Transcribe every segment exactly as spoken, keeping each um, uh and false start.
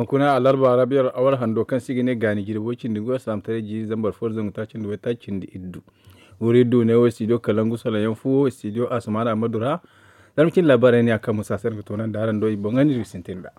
Kuna alarba rabiyar awar hando kaŋ se i ga ne gaani jirbi way cindi ngu alsaamtaray jiiri zambar fo da zangu taaci nda way taaci cindi iddu. Wuri du ne wo studio kalangu salaŋ yaŋ fu wo studio asamaana amadu ra. Zarma cindi laabaarey ne a kaŋ musa se ni ga toonandi araŋ do i boŋ ga ni du sintin ra.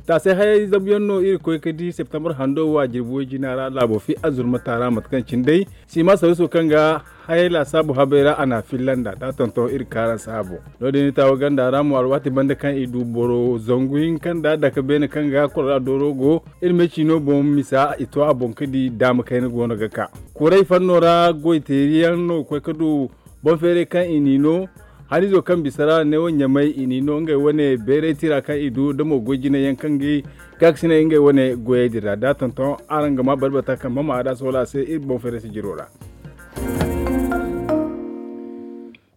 Taasay hayey zabu yaŋ no iri koy ga di septembre hando wo a jirbi way jina ra laabo fi azurma taara mate kaŋ cine day siima saruso kaŋ ga hayey laasaabu habey ra a n'a filla nd'a da a tonton iri kaaraŋ saabo. No- din iri taawo ganda ra mo alwaati banda kaŋ i du boro zangu hinka nda dake beene kaŋ ga kolora dooro go iri me ciino boŋ misa i to a boŋ ga di daama kayna go no ga ka. Kuray fanno ra goy teeri yaŋ no ga koy ga du boŋ feeray kaŋ i n'i no. Haniizo kaŋ bisa ra ne wo ɲamay i n'i no ngey wane bayray tira kaŋ i du da mo goy jinay yaŋ kaŋ ga i gaakasinay ngey wane goyey din ra da a tonton araŋ ga ma barbata kaŋ mama a da soola se iri boŋ feeray sijiro ra.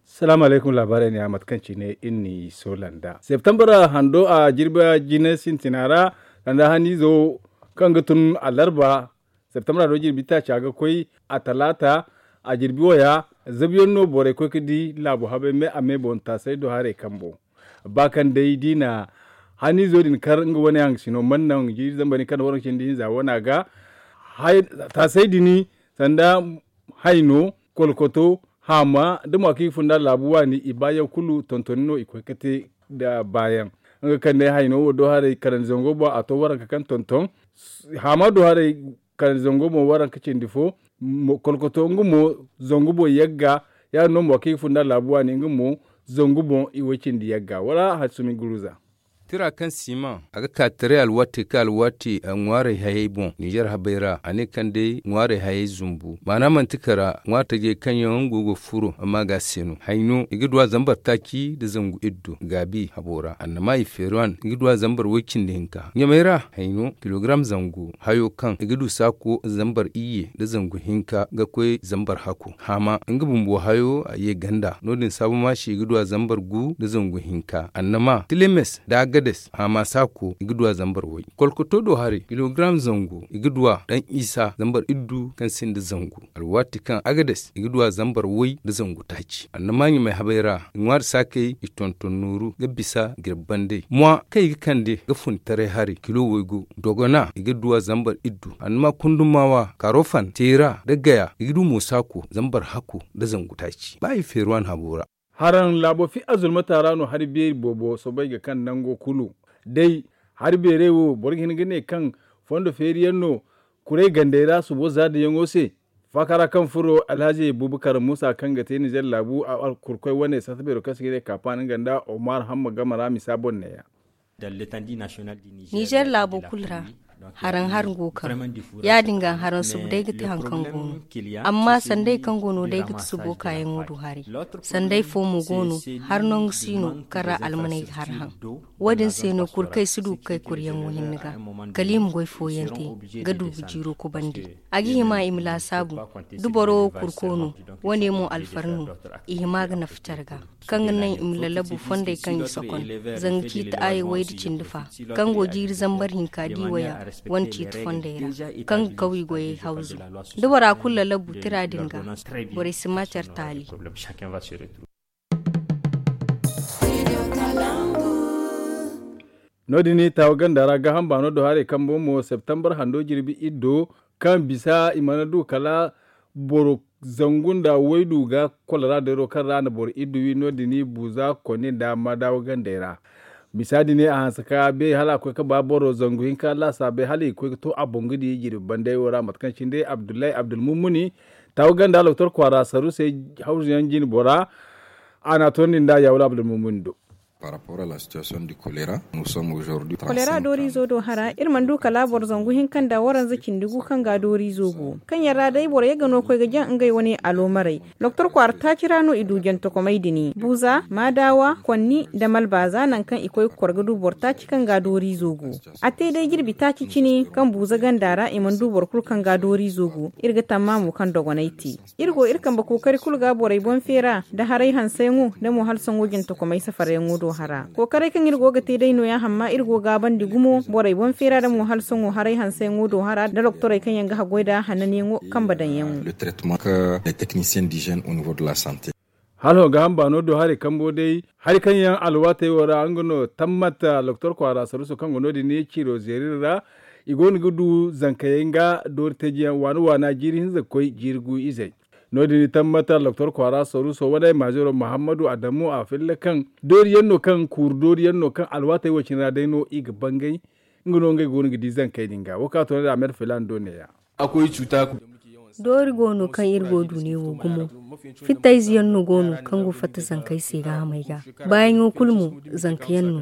Salaamu alaykum laabaarey ne a mate kaŋ cine iri n'i soola nd'a septembre hando a jirbi jine sintina ra sanda haniizo kaŋ ga tun alarba septembre hando jirbi taaca ga koy a talaata a jirbi waya zabu yaŋ no borey koy ga di laabo habey me a me boŋ taasay do haray kambo. Ba kaŋ day da i na haniizo din kar nga wane haŋ ga sino mana naŋ jiiri zambar ni kaŋ waraŋ cindi hinza wana ga taasay din sanda hayno kolkoto haama da mo a kaŋ i ga funda laabu waani i baayaŋ kulu tontoni no i koy ga te nda baayaŋ. Nga kaŋ day hayno wo do haray kanandi zango boŋ a to waranka kaŋ tonton haama do haray kanandi zango boŋ waranka cindi fo kolkoto nga mo zangu boŋ yagga. Ya- din no mo kaŋ i ga funda laabu waani nga mo zangu boŋ i way cindi yagga wala hari sumi guruza. Tira kaŋ siima a ga ka taray alwaati kaŋ alwaati ŋwaarey hayey boŋ ninzeer habey ra a ne kaŋ day ŋwaarey hayey zumbu maana manti kara ŋwaari tajey kaŋ yaŋ go ga furo amma ga se no hayno i ga du a zambar taaci nda zangu iddu gaabi habo ra annama i feeruwan i ga du a zambar way- cindi hinka ɲamay ra hayno kilogram zangu hayo kaŋ i ga du saako zambar iyye nda zangu hinka ga koy zambar hako haama nga bumbo hayo a ye ganda no- din saabu maasi i ga du a zambar gu nda zangu hinka annama tilemes nda agades haama saako i ga du a zambar way kolkoto do haray kilogram zangu i ga du a daŋ isa zambar iddu kaŋ sinda zangu alwaati kaŋ agades i ga du a zambar way nda zangu taaci annama ɲamay habey ra i ŋwaari saakey i tonton nooru ga bisa jirbi banday mwa kaŋ i ga kande ga fun taray haray kilo waygu dogona i ga du a zambar iddu annama kundumaawa kaarofan teera nda gaya i ga du mo saako zambar hako nda zangu taaci ba i feeruwan habo ra. Haraŋ laabo fi azurmata ra no hari beeri boobo soobay ga kaŋ nango kulu day hari beerey wo boro ga hin ga ne kaŋ fondo feeri yaŋ no kuray gandey ra subo za din yaŋo se. Faaka ra kaŋ furo alhazi buubakar muusa kaŋ ga te ninzeer laabu a kurkoy wane sarta beero kaŋ se ga ne kaapaani nga nda omar hamma game ra misa boŋ neeya. Ninzeer laabo kulu ra haraŋ hari go kaŋ ya- din ga haraŋ subu day ga te hari kaŋ go no. Amma sanday kaŋ go no day ga ti subo kaayaŋo do haray sanday fo mo go no. Hari nangu si no kaŋ ra almaney ga hari haŋ wo- din se no kurkey si du ga kay kuryaŋo hinne ga kala i ma goy fooyaŋ te ga du ga jiiro kubandi. A ga hima i ma laasaabu da boro wo kurko no wane mo alfar no. I hima ga nafa care ga kaŋ ga naŋ i ma lallabu fondey kaŋ i sokon zanga ciiti aye way da cindi fa kaŋ go jiiri zambar hinka di waya wane ciiti fondey ra kaŋ ga kaw i goyey hawzu da bora kulu lallabu tira din ga borey si ma care taali. No- din taawa ganda ra gaaham baano do haray kambo mo septembre hando jirbi iddo kaŋ bisa i mana du kala boro zangu nda waydu ga kolora deero kaŋ ra na boro iddu wi no- din buuza koni nda madaawa gandey ra. Misa din a hanse ka bay hala a koy ga ba boro zangu hinka laasaabey hala i ga koy ga to a boŋ ga di jirbi banday wo ra mate kaŋ cine day abdullahi abdulmumuni taawa ganda loktor kwaara saru se hawzu yaŋ jine bora. A n'a toonandi nda yaawula abdulmumuni do. Kolera dooriizo do hara iri mana du kala boro zangu hinka nda waranza cindi gu kaŋ ga dooriizo go kaŋ yaŋ ra day boro yaŋ ga no koy ga jaŋ ngey wane aloomarey. Doktor kwaara taaci ra no i du jantakomey din buuza maadaawa konni nda malbaaza nangu kaŋ i koy ga kor ga du boro taaci kaŋ ga dooriizo go. A te day jirbi taaci cine kaŋ buuza ganda ra i mana du boro kulu kaŋ ga dooriizo go. Iri ga tamma mo kaŋ dogonay te. Iri go iri kambe kookari kulu ga borey boŋ feera nda haray hanseyaŋo nda mo hala sohõ jintakomey safaryaŋo do hara kookaray kaŋ iri go ga te day nooya hamma iri go gaabandi gumo borey boŋ feera nda mo hala sohõ haray hanseyaŋo do hara nda doktorey kaŋ yaŋ ga haggoy nda hananyaŋo kambe daŋyaŋo. Hala ho gaaham baano do haray kambo day hari kaŋ yaŋ alwaatey wo ra nga no tammat loktor kwaara saruso kaŋ go no- din ciro zeeri ra. I go no ga du zankayey nga doori teeji yaŋ waana waana jiiri hinza ga koy jiiri gu izey. No- din tammat loktor kwaara saruso wane maaziro muhammadu adamu a filla kaŋ doori yaŋ no kaŋ kuuru doori yaŋ no kaŋ alwaatey wo cine ra day no i ga bangay. Nga no ngey go no ga di zankey din ga wo kaŋ a toonandi a mer filaana do neeya. Doori go no kaŋ iri go du ne wo gumo. Fittayze yaŋ no go no kaŋ go fatta zankey se gaahamey ga. Baayaŋo kulu mo zanka yaŋ no.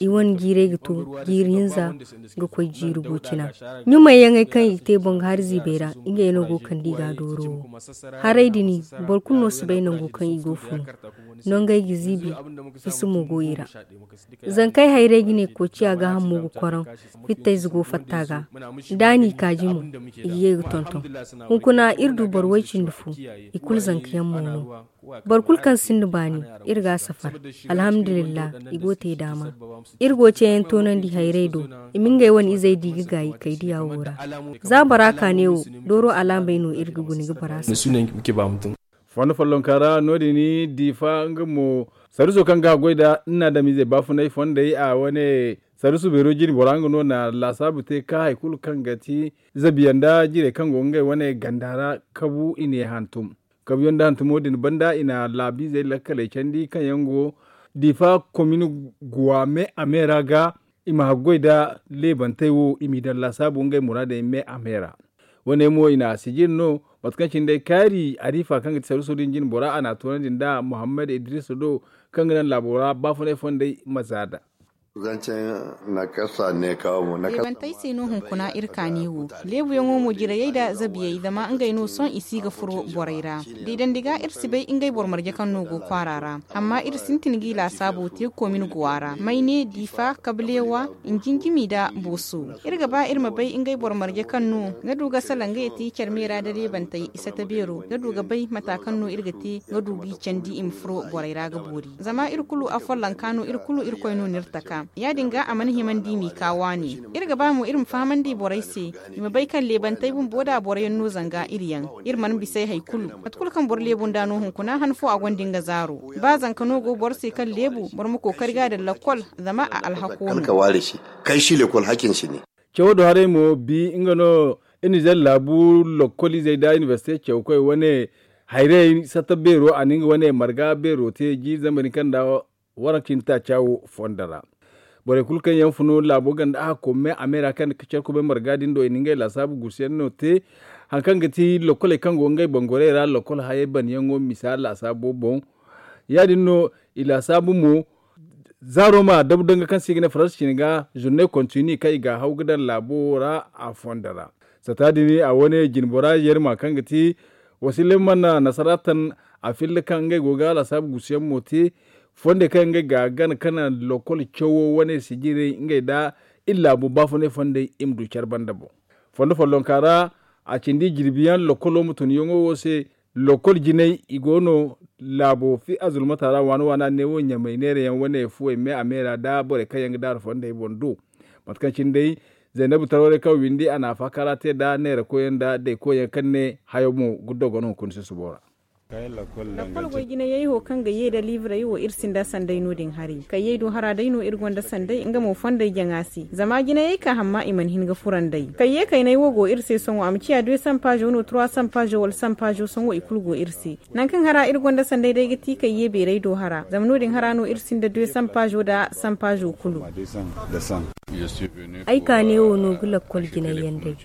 I wane jiirey ga to jiiri hinza ga koy jiiri gu cina. Ɲumay yaŋey kaŋ i ga te boŋ ga hari ziibey ra ngey no go ga kande i ga dooro wo. Haray din boro kulu no si bay nango kaŋ i go funu. Nongey ga ziibi. Fisi mo go i ra. Zankey hayray ga ne koociya gaaham mo ga koron. Fittayze go fatta ga. Da a n'i kaaji mo i ga ye ga tonton. Hunkuna iri du boro way-cindi fo. I kulu zanka yaŋ mo no. Boro kulu kaŋ sinda baani iri ga a safar. Alhamdulillah. I go te daama. Iri go ceeyaŋ toonandi hayray do. I ma ngey wane izey di ga gaayi kaydiya wo ra. Za bora kaane wo dooro alaamey no iri ga guna ga bora safar. Fondo follonka ra no- din diifa nga mo. Saruso kaŋ ga a goy nd'a ni na adamizey baafunay fondey a wane saruso beero jine bora nga no na laasaabu te ka hari kulu kaŋ ga ti zabiyaŋ nda jirey kaŋ go ngey wane ganda ra. Kabu i ne hantum. Kabuyaŋ nda hantumo din banda i na laabizey lakkaley candi kaŋ yaŋ go diifa komin guwa me a me ra ga. I ma haggoy nda leebantey wo i m'i daŋ laasaabu ngey muraadey me a me ra. Wane mo i na a sijiri no mate kaŋ cine day kaari ariifa kaŋ ga ti saruso din jine bora a na a toonandi nda muhammad idrisa do kaŋ ga naŋ laabo ra baafunay fondey ma zaada. Zancen na kasa ne kawo mo na kasa. Leebantey se no hunkuna iri kaani wo. Leebuyaŋo mo jirayey nda zabiyey zama ngey no sohõ i si ga furo borey ra. Deedandi ga iri si bay ngey boro marje kaŋ no go kwaara ra. Amma iri sintin g'i laasaabo te komin guwa ra may ne diifa kableewa. Njinjimi nda booso. Iri ga ba iri ma bay ngey boro marje kaŋ no ga du ga salaŋ ngey te care me ra nda leebantey i sata beero ga du ga bay mata kaŋ no iri ga te ga du g'i candi i ma furo borey ra ga boori. Zama iri kulu afollonka no iri kulu irkoy no n'iri taka ya- din ga a mana himandi i m'i ka waani. Iri ga ba mo iri ma fahamandi borey se i ma bay kaŋ leebantey bumbo nda boroyaŋ no zanga iri yaŋ. Iri mana bis'ey hari kulu mate kulu kaŋ boro leebu nd'a no hunkuna han fo a gonda nga zaaro. Ba zanka no go boro se kaŋ leebu boro ma kookari ga daŋ lakkol. Zama a alhako no. Kay si lekkol hakin si ne. Cawo do haray mo bi nga no. Iri nizer laabu lakkol izey nda inibersite cawkoy wane hayrey satta beero a na nga wane marga beero te jiiri zamani kaŋ nda waranka cindi taaca wo fondo ra. Borey kulu kaŋ yaŋ funu laabo ganda a hakko me a me ra kaŋ ga care kubay marga din do i na ngey laasaabu guusuyaŋ no te. Hari kaŋ ga ti lokkoley kaŋ go ngey bangorey ra lokkol hayey banyaŋo misa laasaabo boŋ. Ya- din no i laasaabu mo zaaro ma dabu danga kaŋ se i ga ne faransa cine ga zurne kontini kaŋ i ga a haw ga daŋ laabo ra a fondo ra. Sata din a wane jine bora yerma kaŋ ga ti wasila mana nasara tan a filla kaŋ ngey go ga laasaabu guusuyaŋ mo te. Fonde kaŋ ngey ga gana kana lokol cawo wane sijirey ngey nda iri laabo baafunay fondey i ma du care banda boŋ. Fondo follonka ra a cindi jirbiyaŋ lokolo ma tun yaŋo wo se. Lokol jinay i go no laabo fi azulmata ra waana waana neewo ɲamay neerayaŋ wane fuwey me a me ra nda borey kaŋ yaŋ ga daaru fondey boŋ du. Mate kaŋ cine day zaynabu tarwaray kaŋ windi a na a faakara te nda neerakoyyaŋ nda daykoyyaŋ kaŋ ne hayo mo ga dogon hunkuna susubo ra. Lakkol goy jinayey wo kaŋ ga ye nda liibrey wo iri sinda sanday no- din hari kayyey do hara day no iri gonda sanday nga mo fonday jaŋa se zama jinayey ka hamma i mana hin ga furanday kayye kaynay wo go iri se sohõ a ma ciya deux cents pajo no trois cents pajo wala cent pajo sohõ i kulu go iri se. Nangu kaŋ hara iri gonda sanday day ga ti kayye beeray do hara zama no- din hara no iri sinda deux cents pajo nda cent pajo kulu. Ay ka ne wo no ga lakkol jinay yaŋ day.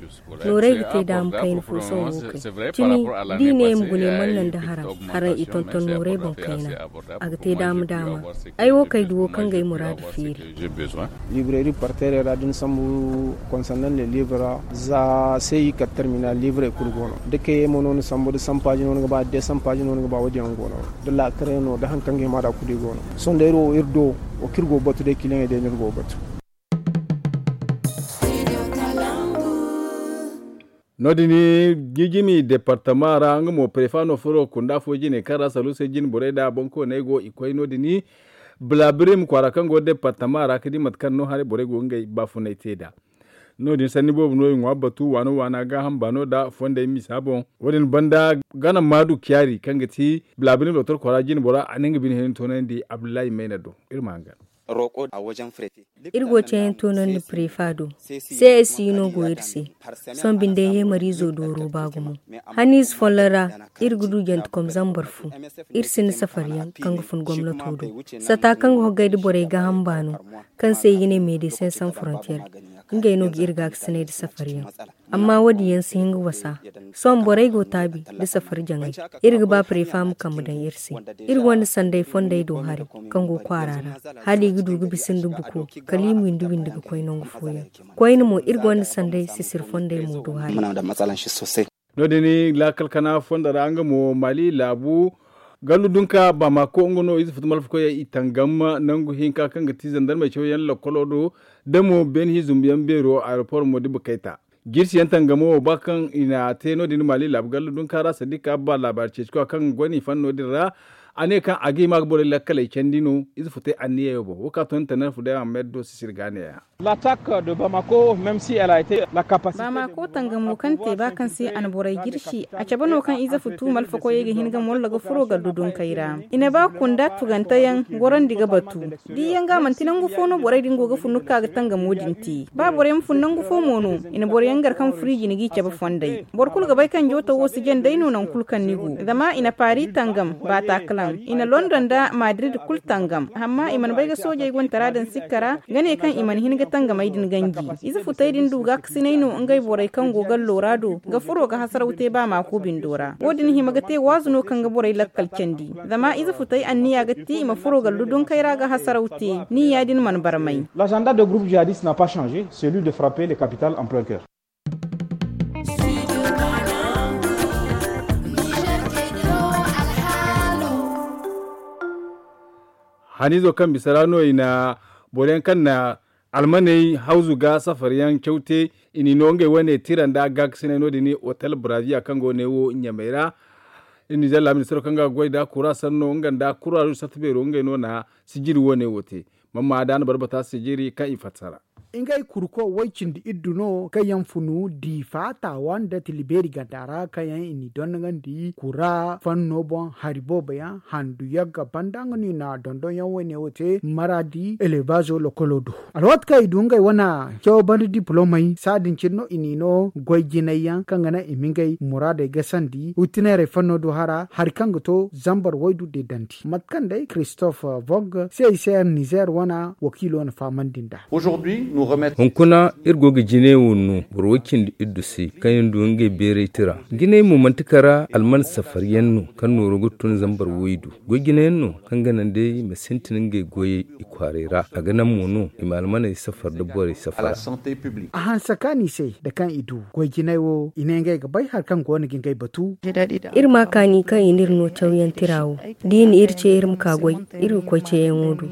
Nooray ga te daama kayna fo sohõ wo kay cimi da i ne i ma gune mana naŋ da haram. Haray i tonton nooray boŋ kayna. A ga te daama daama. Ay wo kay duwo kaŋ ga ay muraadu feeri. Librairie parterre ra da ni sambu concernant le livre za se i kala terminal livre kulu go no da kayey mo no ni sambu da sampaaji no ni ga ba da desampaaji no ni ga ba wo- din yaŋ go no. Da laakare no da hari kaŋ ga hima da kulu i go no. Sohõ day iri wo iri do wo kaŋ iri go ga batu day kiliyaŋey day no iri go ga batu. No- din jijimi departama ra nga mo prefa no furo kunda fo jine kaŋ ra salusey jine borey nda boŋkooney go i koy no- din. Blabirim kwaara kaŋ go departama ra ga di mate kaŋ no haray borey go ngey baafunay te nd'a. No- din sanni boobo no i ŋwa batu waana waana gaaham baano nda fondey misa boŋ. Wo- din banda gana maadu kiyaari kaŋ ga ti bilaabini lootar kwaara jine bora a na nga bine hina toonandi abdullahi mayna do. Iri ma hangan. Iri go ceeyaŋ toonandi prefa do. Csi no go iri se. Sohõ binde yeemariizo dooro ba gumo. Haniize folloŋ ra iri ga du jantekom zambar fo. Iri sinda safariyaŋ kaŋ ga fun gomnato do. Sata kaŋ ga hoggay nda borey gaaham baano, kaŋ se i ga ne medesin san frontier, ngey no ga iri gaakasinay nda safariyaŋ. Amma wo- din yaŋ si hin ga wasa. Sohõ borey go taabi nda safari jaŋay. Iri ga ba prefa ma kambe daŋ iri se. Iri gonda sanday fondey do hari kaŋ go kwaara ra, hala i ga du ga bisa nda buko, kala i ma windi windi ga koy nangu fooyaŋ. Koyne mo iri gonda sanday sisiri fondey mo do hari. No- din laakal kana fondo ra nga mo mali laabu gallu dunka bamako nga no ize futu malfakoyey i tangam nangu hinka kaŋ ga ti zandarmey cawyaŋ lakkolo do, da mo beeni hi zumbuyaŋ beero aeroport mo diba kayta. Jirsiyaŋ tangamo wo ba kaŋ i na te no- din mali laabu gallu dunka ra sadiika ba laabaari ceeci koy kaŋ gonda i fan no- din ra. A ne kaŋ a ga hima ga borey lakkaley candi no ize futey anniyayo boŋ wo ka to ni tanar fu day ahmed do sisiri ga neeya. Bamako tangamo kaŋ te ba kaŋ se a na borey jirsi a cabe no kaŋ ize futu malfakoyey ga hin ga mollo ga furo gallu dunkey ra. I na ba kunda tuganteyaŋ gorandi ga batu. Diyaŋ ga manti nangu fo no borey din go ga fun ga ka ga tangamo din te. Ba borey ma fun nangu fo mo no, i na boroyaŋ gar kaŋ furo i jine g'i cabe fondey. Boro kulu ga bay kaŋ jooto wo si jaŋ day no nangu kulu kaŋ ni go. Zama i na paari tangam, bataclan, i na london nda madrid kulu tangam. Amma i mana bay ga soojey gontara daŋ sikka ra ga ne kaŋ i mana hin ga tangamey din ganji. Ize futey din du gaakasinay no ngey borey kaŋ go gallo ra do ga furo ga hasaraw te ba maako bindo ra. Wo- din hima ga te waazu no kaŋ ga borey lakkal candi. Zama ize futey anniya ga ti i ma furo gallu dunkey ra ga hasaraw te. Ni ya- din mana barmay. L'agenda de groupe jihadiste n'a pas changé, celui de frapper les capitales en plein cœur. Haniizo kaŋ bisa ra no i na boroyaŋ kaŋ na almaney hawzu ga safariyaŋ caw te. I n'i no ngey wane tira nda gaakasinay no- din hotel brazia kaŋ go neewo ɲamey ra. Iri nizeer laaministiro kaŋ ga goy nda kura sanno nga nda kura ruuj sarta beero ngey no na sijiri wane wo te. Mamma da a na barbata sijiri kaŋ i fassara. Ngey kurko way cindi iddu no kaŋ yaŋ funu diifa taawa nda tilibeeri ganda ra kaŋ yaŋ i n'i dondogandi kura fanno boŋ hari boobo yaŋ handu yagga banda nga no i na dondonyaŋ wane wo te maraadi elebazo lokolo do. Alwaati kaŋ i du ngey wane cawo banda diplomey saadin cine no i n'i no goy jinay yaŋ kaŋ ga naŋ i ma ngey muraadey gasandi witineerey fanno do hara hari kaŋ ga to zambar waydu deedandi mate kaŋ day christophe vog cicr nizeer wane wakiilo na fahamandi nd'a. Hunkuna iri go ga jinay wo no boro way cindi iddu se kaŋ yaŋ du ngey beeray tira. Jinay mo manti kara alman safar yaŋ no kaŋ nooro ga tun zambar waydu. Goy jinayaŋ no kaŋ ga naŋ day ma sintin ngey goyey i kwaaray ra a ga naŋ mo no i ma almaney safar nda borey safara. A hanse kaani se nda kaŋ i du goy jinay wo i ne ngey ga bay hari kaŋ go no ga ngey batu. Iri ma kaani kaŋ i n'iri no cawyaŋ tira wo da i na iri ce iri ma ka goy iri ga koy ceeyaŋo do.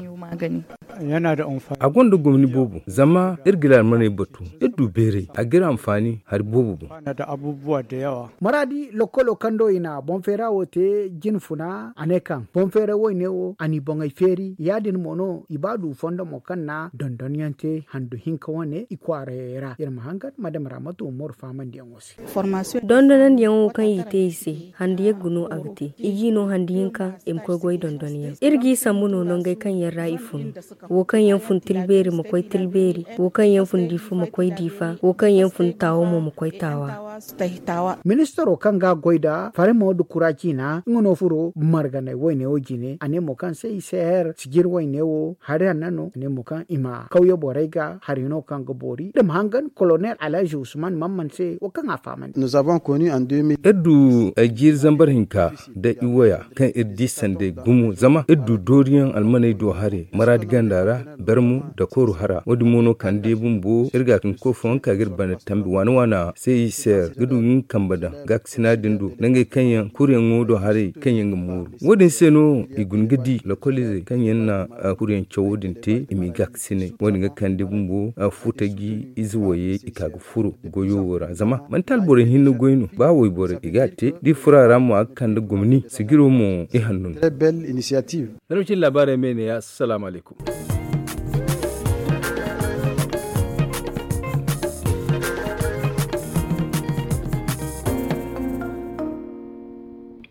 A gonda gomni boobo zama iri ga iri almaney batu. Iri du beeray a ga iri anfaani hari boobo boŋ. Maraadi lokkolo kaŋ do i na boŋ feera wo te jine funa a ne kaŋ boŋ feera woyne wo a n'i boŋey feeri ya- din mo no i ba du fondo mo kaŋ na dondonyaŋ te handu hinka wane i kwaarayey ra iri ma hangan madama ra mate wo mooru faamandiyaŋo se. Dondonandiyaŋo kaŋ i te i se handu yagga no a ga te i g'i no handu hinka i ma koy goy dondonyaŋ iri g'i sambu no nongey kaŋ yaŋ ra i funu. Wo kaŋ yaŋ fun tilbeeri ma koy tilbeeri, wo kaŋ yaŋ fun diifa ma koy diifa, wo kaŋ yaŋ fun taawa mo ma koy taawa. Ministaro kaŋ ga goy nda faremo nda kura ciina nga no furo marganay wayne wo jine a ne mo kaŋ se i se her sijir wayne wo hari hanna no a ne mo kaŋ i ma kawye borey ga hari no kaŋ ga boori da ma hangan kolonel alhaji usman mamman se wo kaŋ a fahamandi. Iri du aljiiri zambar hinka nda i waya kaŋ iri di sanday gumo zama iri du dooriyaŋ almaney do haray maraadi ganda ra, bermu nda kooru hara wo- din mo no kande bumbo iri ga tun koy fooyaŋ ka ga iri banda tambi waana waana se i se ga du ga nga kambe daŋ gaakasina din do nangey kaŋ yaŋ kuruyaŋo do haray kaŋ yaŋ ga mooru. Wo- din se no i guna ga di lokoliizey kaŋ yaŋ na kuruyaŋ cawo din te i m'i gaakasinay wo- din ga kande bumbo futa ga ize wayey i ka ga furo goyo wo ra zama manti alborey hinne goy no ba wayborey i ga a te da i furo a ra mo a ga kande gomni sijiro mo i hanno no. Daraw cine laabaarey me ne ya assalaamu alaykum.